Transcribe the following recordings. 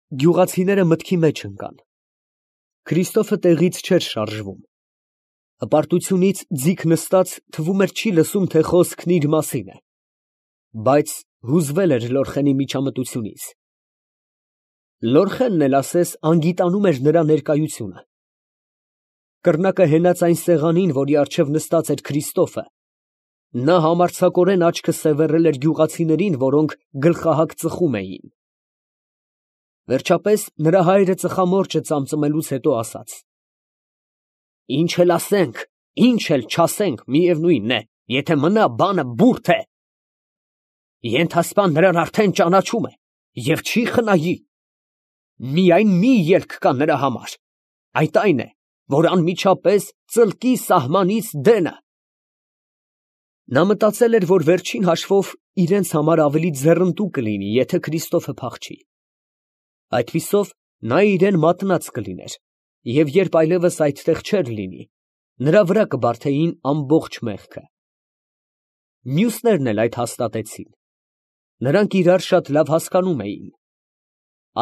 Գյուղացիները մտքի մեջ ընկան։ Քրիստոֆը տեղից չէր շարժվում։ Հպարտությունից ձիգ նստած թվում էր չի լսում, թե խոսքն իր մասին է, բայց հուզվել էր Լորխենի միջամտությունից։ Լորխենն էլ ասես անգիտանում էր նրա ներկայությունը։ Կռնակը հենած այն սեղանին, որի առջև նստած էր Քրիստոֆը, նա համարձակորեն աչքը սևեռել էր գյուղացիներին, որոնք գլխահակ ծխում էին։ Վերջապես նրա հայրը ծխամորճը ծամծմելուց հետո ասաց. «Ինչ էլ ասենք, ինչ էլ չասենք, միևնույնն է, եթե մնա բանը բուրդ է։ Ենթասպան նրան արդեն ճանաչում է և չի խնայի։ Միայն մի ելք կա նրա համար, այդ այն է, որ անմիջապես ծլկի սահմանից դենը»։ Նա մտածել էր, որ վերջին հաշվով իրենց համար ավելի ձեռնտու կլինի, եթե Քրիստոֆը փախչի։ Այդպիսով նա իրան մատնած կլիներ, և երբ այլևս այդտեղ չէր լինի, նրա վրա կբարդեին ամբողջ մեղքը։ Մյուսներն էլ այդ հաստատեցին։ Նրանք իրար շատ լավ հասկանում էին։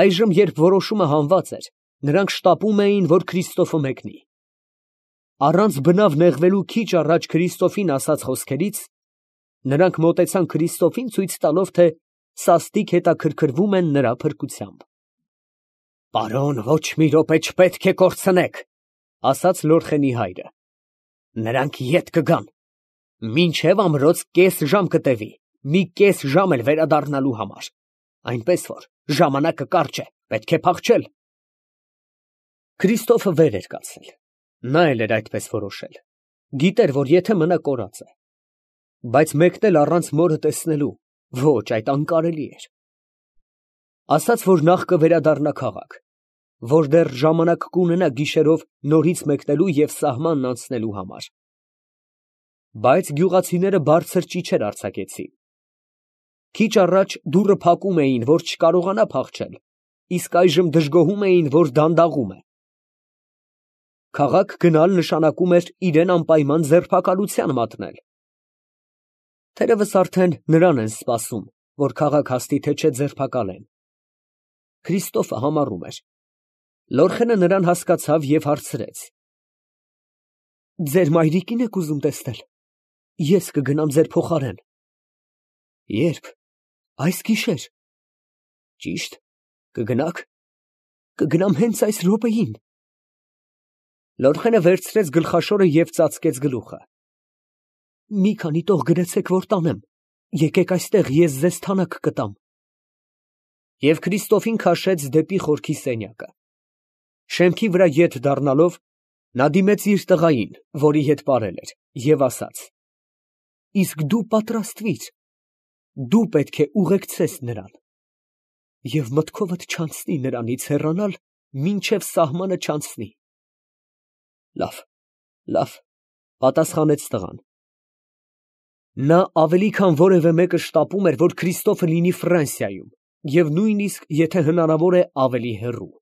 Այժմ, երբ որոշումը հանված էր, նրանք շտապում էին, որ Քրիստոֆը մեկնի։ Առանց բնավ նեղվելու քիչ առաջ Քրիստոֆին ասած խոսքերից, նրանք մոտեցան Քրիստոֆին, ցույց տալով, թե սաստիկ հետաքրքրվում են նրա փրկությամբ։ «Պարոն, ոչ մի րոպե չպետք է կորցնեք», ֊ ասաց Լորխենի հայրը։ «Նրանք ետ կգան։ Մինչև ամրոց կես ժամ կտևի, մի կես ժամ էլ վերադառնալու համար, այնպես որ ժամանակը կարճ է, պետք է փախչել»։ Քրիստոֆը վեր էր կացել։ Նա էլ էր այդպես որոշել։ Գիտեր, որ եթե մնա կորած է։ Բայց մեկնել առանց մորը տեսնելու, ոչ, այդ անկարելի էր։ Ասաց, որ նախ կվերադառնա քաղաք, որ դեռ ժամանակ կունենա գիշերով նորից մեկնելու և սահմանն անցնելու համար։ Բայց գյուղացիները բարձր ճիչեր արձակեցին։ Քիչ առաջ դուռը փակում էին, որ չկարողանա փախչել, իսկ այժմ դժգոհում էին, որ դանդաղում է։ Քաղաք գնալ նշանակում էր իրան անպայման ձերբակալության մատնել։ Թերևս արդեն նրան են սպասում, որ քաղաք հասնի, թե չէ ձերբակալեն։ Քրիստոֆը համառում էր։ Լորխենը նրան հասկացավ և հարցրեց. «Ձեր մայրիկի՞ն եք ուզում տեսնել։ Ես կգնամ ձեր փոխարեն»։ «Ե՞րբ»։ «Այս գիշեր»։ «Ճի՞շտ, կգնաք»։ «Կգնամ հենց այս րոպեին»։ Լորխենը վերցրեց գլխաշորը և ծածկեց գլուխը։ «Մի քանի տող գրեցեք, որ տանեմ, եկեք այստեղ, ես ձեզ թանաք կտամ»։ Եվ Քրիստոֆին քաշեց դեպի խորքի սենյակը։ Շեմքի վրա ետ դառնալով, նա դիմեց իր տղային, որի հետ պարել էր, և ասաց. «Իսկ դու պատրաստվիր, դու պետք է ուղեկցես նրան, և մտքովդ չանցնի նրանից հեռանալ, մինչև սահմանը չանցնի»։ «Լավ, լավ», ֊ պատասխանեց տղան։ Նա ավելի քան որևէ մեկը շտապում էր, որ Քրիստոֆը լինի Ֆրանսիայում և նույնիսկ, եթե հնարավոր է, ավելի հեռու։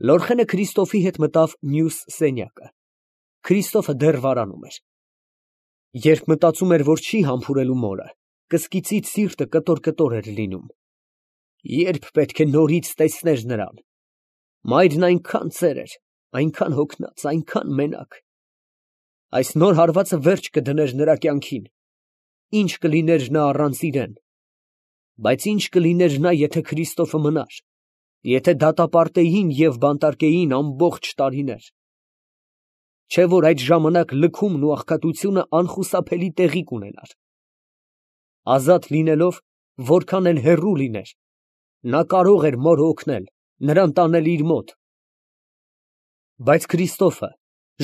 Լորխենը Քրիստոֆի հետ մտավ մյուս սենյակը։ Քրիստոֆը դեռ վարանում էր։ Երբ մտածում էր, որ չի համբուրելու մորը, կսկիծից սիրտը կտոր էր լինում։ Երբ պետք է նորից տեսներ նրան։ Մայրն այնքան ծեր էր, այնքան հոգնած, այնքան մենակ։ Այս նոր հարվածը վերջ կդներ նրա կյանքին։ Ինչ կլիներ նա առանց իրեն։ Բայց ինչ կլիներ նա, եթե Քրիստոֆը մնար, եթե դատապարտեին և բանտարկեին ամբողջ տարիներ։ Չէ՞ որ այդ ժամանակ լքումն ու աղքատությունը անխուսափելի տեղի կունենար։ Ազատ լինելով, որքան էլ հեռու լիներ, նա կարող էր մորը օգնել, նրան տանել իր մոտ։ Բայց Քրիստոֆը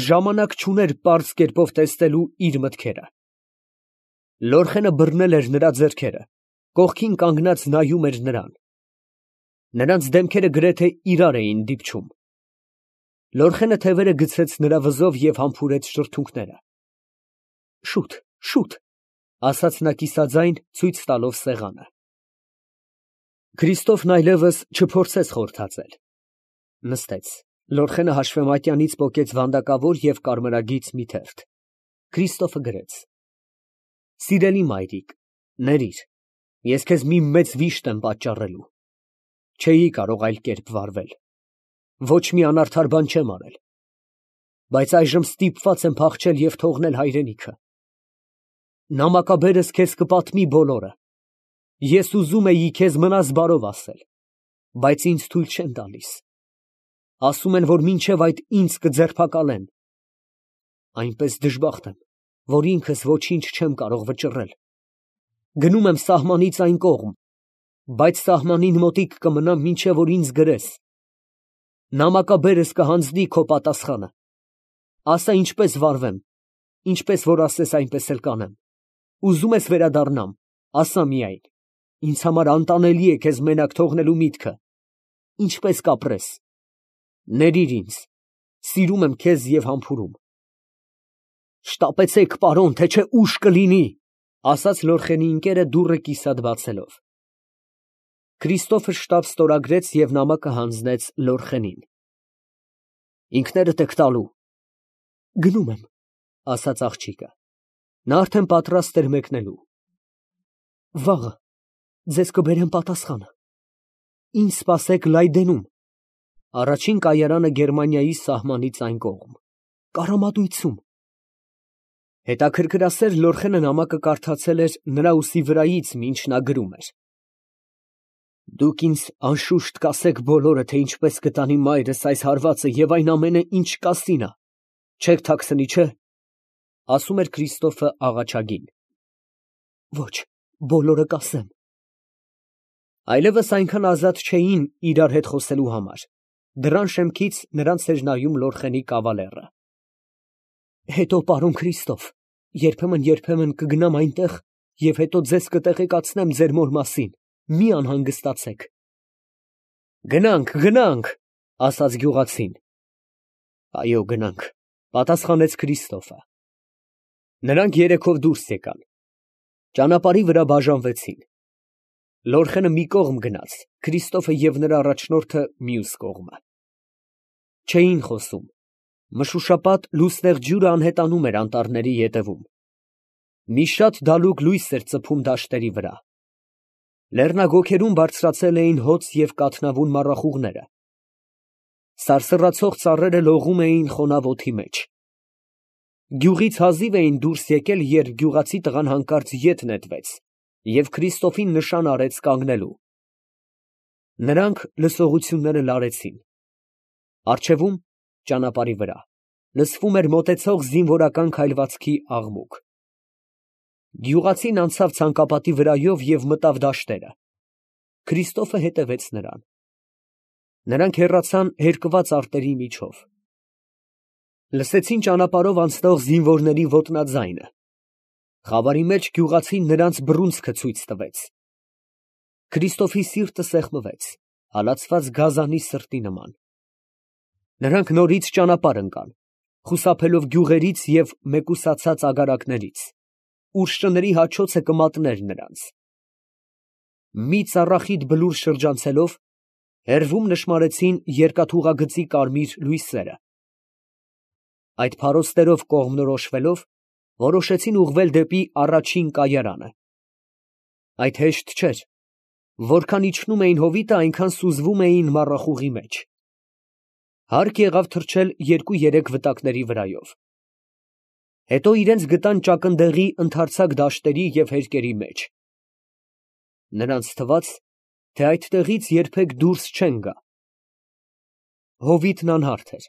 ժամանակ չուներ պարզ կերպով տեսնելու իր մտքերը։ Լորխենը բռնել էր նրա ձեռքերը, կողքին կանգնած նայում էր նրան։ Նրանց դեմքերը գրեթե իրար էին դիպչում։ Լորխենը թևերը գցեց նրա վզով և համբուրեց շրթունքները։ «Շուտ, շուտ», ֊ ասաց նա կիսաձայն, ցույց տալով սեղանը։ Քրիստոֆն այլևս չփորձեց խորհրդածել։ Նստեց։ Լորխենը հաշվեմատյանից պոկեց վանդակավոր և կարմրագիծ մի թերթ։ Քրիստոֆը գրեց. «Սիրելի մայրիկ, ներիր, ես քեզ մի մեծ վիշտ եմ պատճառելու։ Չէի կարող այլ կերպ վարվել, ոչ մի անարդար բան չեմ արել, բայց այժմ ստիպված եմ փախչել և թողնել հայրենիքը։ Նամակաբերս քեզ կպատմի բոլորը, ես ուզում էի քեզ մնաս բարով ասել, բայց ինձ թույլ չեն տալիս, ասում են, որ մինչև այդ ինձ կձերբակալեն, այնպես դժբախտ եմ, որ ինքս ոչինչ չեմ կարող վճռել, գնում եմ սահմանից այն կողմ, բայց սահմանին մոտիկ կմնամ, մինչև որ ինձ գրես, նամակաբերս կհանձնի քո պատասխանը, ասա ինչպես վարվեմ, ինչպես որ ասես այնպես էլ կանեմ, ուզում ես վերադառնամ, ասա միայն, ինձ համար անտանելի է քեզ մենակ թողնելու միտքը, ինչպես կապրես, ներիր ինձ, սիրում եմ քեզ և համբուրում։ Շտապեցեք, պարոն, թե չէ ուշ կլինի, ասաց Լորխենի ընկերը դուռը կիսատ բացելով։ Քրիստոֆը շտապ ստորագրեց և նամակը հանձնեց Լորխենին։ Ինքներդ եք տալու։ Գնում եմ, ասաց աղջիկը։ Նա արդեն պատրաստ էր մեկնելու։ Վաղը ձեզ կբերեմ պատասխանը։ Ինձ սպասեք Լայդենում, առաջին կայարանը Գերմանիայի սահմանից այն կողմ, Կարամատույցում։ Հետաքրքրասեր Լորխենը նամակը կարդացել էր նրա ուսի վրայից, մինչ նա գրում էր։ Դուք ինձ անշուշտ կասեք բոլորը, թե ինչպես կտանի մայրս այս հարվածը և այն ամենը, ինչ կա Սինա, չեք թաքցնի, չէ՞, ասում էր Քրիստոֆը աղաչագին։ Ոչ, բոլորը կասեմ։ Այլևս այնքան ազատ չէին իրար հետ խոսելու համար, դռան շեմքից նրանց էր նայում Լորխենի կավալերը։ Հետո, պարոն Քրիստոֆ, երբեմն կգնամ այնտեղ և հետո ձեզ կտեղեկացնեմ ձեր մոր մասին, մի անհանգստացեք։ Գնանք, ասաց գյուղացին։ Այո, գնանք, պատասխանեց Քրիստոֆը։ Նրանք երեքով դուրս եկան։ Ճանապարհի վրա բաժանվեցին։ Լորխենը մի կողմ գնաց, Քրիստոֆը և նրա առաջնորդը մյուս կողմը։ Չէին խոսում։ Մշուշապատ լուսնեղ ջուրը անհետանում էր անտառների ետևում։ Մի շատ դալուկ լույս էր ծփում դաշտերի վրա։ Լեռնագոգերում բարձրացել էին հոծ և կաթնավուն մառախուղները։ Սարսռացող ծառերը լողում էին խոնավ օդի մեջ։ Գյուղից հազիվ էին դուրս եկել, երբ գյուղացի տղան հանկարծ ետ նետվեց և Քրիստոֆին նշան արեց կանգնելու։ Նրանք լսողությունները լարեցին։ Առջևում, ճանապարհի վրա, լսվում էր մոտեցող զինվորական քայլվածքի աղմուկ։ Գյուղացին անցավ ցանկապատի վրայով և մտավ դաշտերը։ Քրիստոֆը հետևեց նրան։ Նրանք հեռացան հերկված արտերի միջով։ Լսեցին ճանապարհով անցնող զինվորների ոտնաձայնը։ Խավարի մեջ գյուղացին նրանց բռունցքը ցույց տվեց։ Քրիստոֆի սիրտը սեղմվեց, հալածված գազանի սրտի նման։ Նրանք նորից ճանապարհ ընկան, խուսափելով գյուղերից և մեկուսացած ագարակներից, ուր շների հաչոցը կմատներ նրանց։ Մի ծառախիտ բլուր շրջանցելով, հեռվում նշմարեցին երկաթուղագծի կարմիր լույսերը։ Այդ փարոստերով կողմնորոշվելով, որոշեցին ուղղվել դեպի առաջին կայարանը։ Այդ հեշտ չէր, որքան իջնում էին հովիտը, այնքան սուզվում էին մառախուղի մեջ։ Հարկ եղավ թռչել 2-3 վտակների վրայով։ Հետո իրենց գտան ճակնդեղի ընդարձակ դաշտերի և հերկերի մեջ։ Նրանց թվաց, թե այդտեղից երբեք դուրս չեն գա։ Հովիտն անհարթ էր,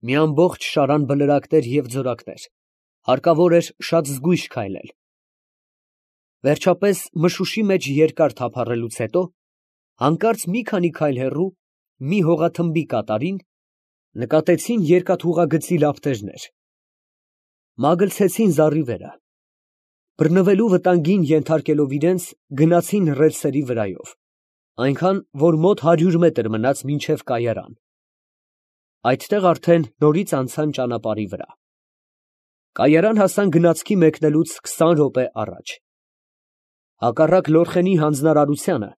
մի ամբողջ շարան բլրակներ և ձորակներ, հարկավոր էր շատ զգույշ քայլել։ Վերջապես, մշուշի մեջ երկար թափառելուց հետո, հանկարծ մի քանի քայլ հեռու, մի հողաթմբի կատարին, նկատեցին երկաթուղագծի լապտերներ։ Մագլցեցին զառիվերը։ Բռնվելու վտանգին ենթարկելով իրենց, գնացին ռելսերի վրայով, այնքան, որ մոտ 100 մետր մնաց մինչև կայարան։ Այդտեղ արդեն նորից անցան ճանապարհի վրա։ Կայարան հասան գնացքի մեկնելուց 20 րոպե առաջ։ Հակառակ Լորխենի հանձնարարությանը,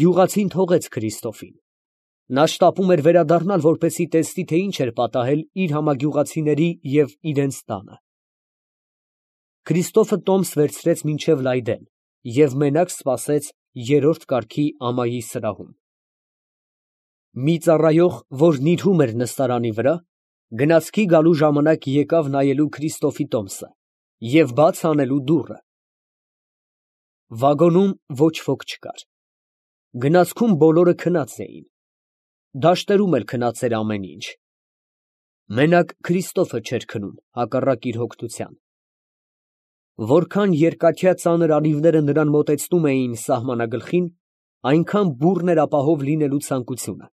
գյուղացին թողեց Քրիստոֆին։ Նա շտապում էր վերադառնալ, որպեսզի տեսնի, թե ինչ էր պատահել իր համագյուղացիների և իրենց տանը։ Քրիստոֆը տոմս վերցրեց մինչև Լայդեն և մենակ սպասեց երրորդ կարգի ամայի սրահում։ Մի ծառայող, որ նիրհում էր նստարանի վրա, գնացքի գալու ժամանակ եկավ նայելու Քրիստոֆի տոմսը և բաց անելու դուռը։ Վագոնում ոչ ոք չկար։ Գնացքում բոլորը քնած էին։ Դաշտերում էլ քնած էր ամեն ինչ։ Մենակ Քրիստոֆը չէր քնում, հակառակ իր հոգնության։ Որքան երկաթյա ծանր անիվները նրան մոտեցնում էին սահմանագլխին, այնքան բուռն էր ապահով լինելու ցանկությունը։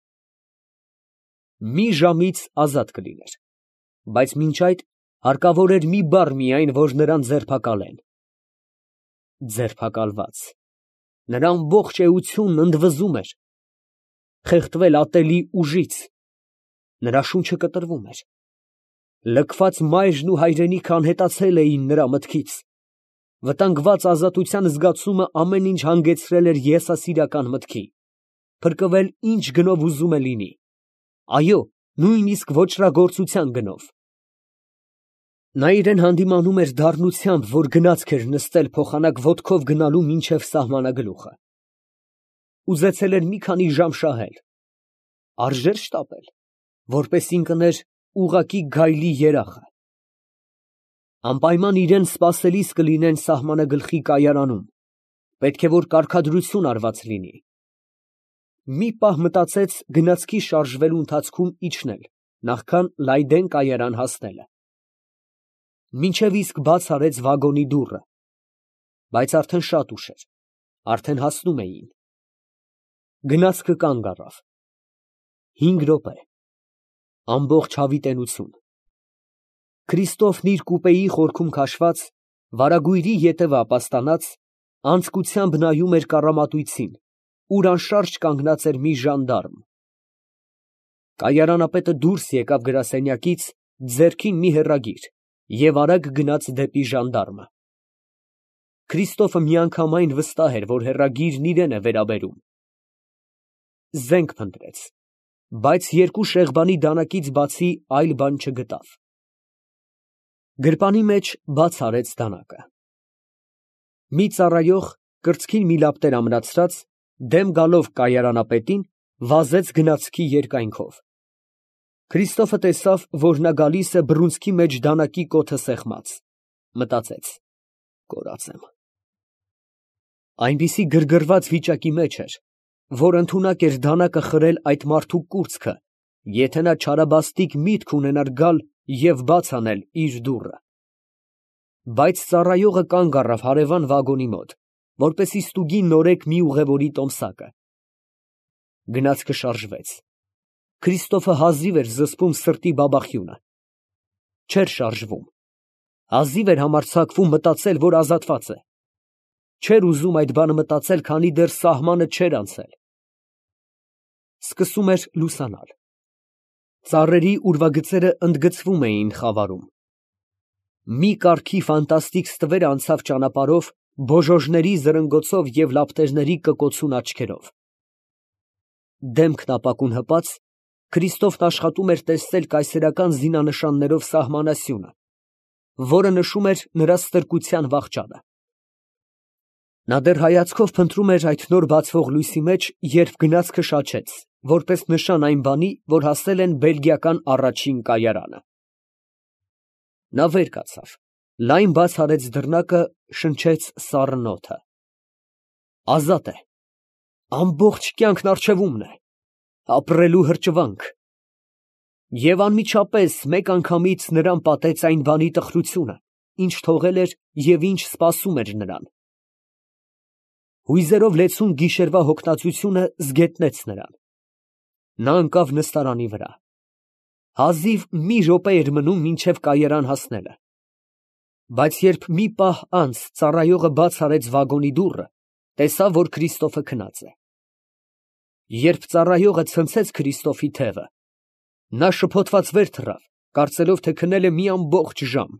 Մի ժամից ազատ կլիներ, բայց մինչ այդ հարկավոր էր մի բառ միայն, որ նրան ձերբակալեն։ Ձերբակալված։ Նրա ամբողջ էությունն ընդվզում էր։ Խեղդվել ատելի ուժից։ Նրա շունչը կտրվում էր։ Լքված մայրն ու հայրենիքը անհետացել էին նրա մտքից։ Վտանգված ազատության զգացումը ամեն ինչ հանգեցրել էր եսասիրական մտքի։ Փրկվել ինչ գնով ուզում է լինի։ Այո, նույնիսկ ոճրագործության գնով։ Նա իրեն հանդիմանում էր դառնությամբ, որ գնացք էր նստել փոխանակ ոտքով գնալու մինչև սահմանագլուխը։ Ուզեցել էր մի քանի ժամ շահել։ Արժեր շտապել, որպես ինքն էր ուղղակի գայլի երախը։ Անպայման իրեն սպասելիս կլինեն սահմանագլխի կայարանում, պետք է որ կարգադրություն արված լինի։ Մի պահ մտածեց գնացքի շարժվելու ընթացքում իջնել, նախքան Լայդեն կայարան հասնելը։ Մինչև իսկ բաց արեց վագոնի դուռը, բայց արդեն շատ ուշ էր, արդեն հասնում էին։ Գնացքը կանգ առավ։ 5 րոպե, ամբողջ հավիտենություն։ Քրիստոֆն իր կուպեի խորքում քաշված, վարագույրի ետևը ապաստանած, անձկությամբ նայում էր կառամատույցին, ուր անշարժ կանգնած էր մի ժանդարմ։ Կայարանապետը դուրս եկավ գրասենյակից, ձեռքին մի հեռագիր, և արագ գնաց դեպի ժանդարմը։ Քրիստոֆը միանգամայն վստահ էր, որ հեռագիրն իրան է վերաբերում։ Զենք փնտրեց, բայց 2 շեղբանի դանակից բացի այլ բան չգտավ։ Գրպանի մեջ բաց արեց դանակը։ Մի ծառայող, կրծքին մի լապտեր ամրացրած, դեմ գալով կայարանապետին, վազեց գնացքի երկայնքով։ Քրիստոֆը տեսավ, որ նա գալիս է բռունցքի մեջ դանակի կոթը սեղմած։ Մտածեց. կորած եմ։ Այնպիսի գրգռված վիճակի մեջ էր, որ ընդունակ էր դանակը խրել այդ մարդու կուրծքը, եթե նա չարաբաստիկ միտք ունենար գալ և բաց անել իր դուռը։ Բայց ծառայողը կանգ առավ հարևան վագոնի մոտ, որպեսզի ստուգի նորեկ մի ուղևորի տոմսակը։ Գնացքը շարժվեց։ Քրիստոֆը հազիվ էր զսպում սրտի բաբախյունը։ Չէր շարժվում։ Հազիվ էր համարձակվում մտածել, որ ազատված է։ Չէր ուզում այդ բանը մտածել, քանի դեռ սահմանը չէր անցել։ Սկսում էր լուսանալ։ Ծառերի ուրվագծերը ընդգծվում էին խավարում։ Մի կարգի ֆանտաստիկ ստվեր անցավ ճանապարհով բոժոժների զրնգոցով և լապտերների կկոցուն աչքերով։ Դեմքն ապակուն հպած, Քրիստոֆն աշխատում էր տեսնել կայսերական զինանշաններով սահմանասյունը, որը նշում էր նրա ստրկության վախճանը։ Նա դեռ հայացքով փնտրում էր այդ նոր բացվող լույսի մեջ, երբ գնացքը շաչեց, որպես նշան այն բանի, որ հասել են բելգիական առաջին կայարանը։ Նա վեր կացավ, լայն բաց արեց դռնակը, շնչեց սառն օդը։ Ազատ է։ Ամբողջ կյանքն առջևումն է։ Ապրելու հրճվանք։ Եվ անմիջապես մեկ անգամից նրան պատեց այն բանի տխրությունը, ինչ թողել էր և ինչ սպասում էր նրան։ Հույզերով լեցուն գիշերվա հոգնածությունը զգետնեց նրան։ Նա ընկավ նստարանի վրա։ Հազիվ մի րոպե էր մնում մինչև կայարան հասնելը։ Բայց երբ մի պահ անց ծառայողը բաց արեց վագոնի դուռը, տեսավ, որ Քրիստոֆը քնած է։ Երբ ծառայողը ցնցեց Քրիստոֆի թևը, նա շփոթված վեր թռավ, կարծելով, թե քնել է մի ամբողջ ժամ։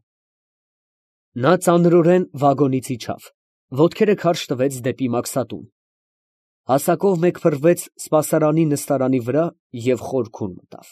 Նա ծանրորեն վագոնից իջավ, ոտքերը քարշ տվեց դեպի մաքսատուն։ Հասակով մեկ փռվեց սպասարանի նստարանի վրա և խորքուն մտավ։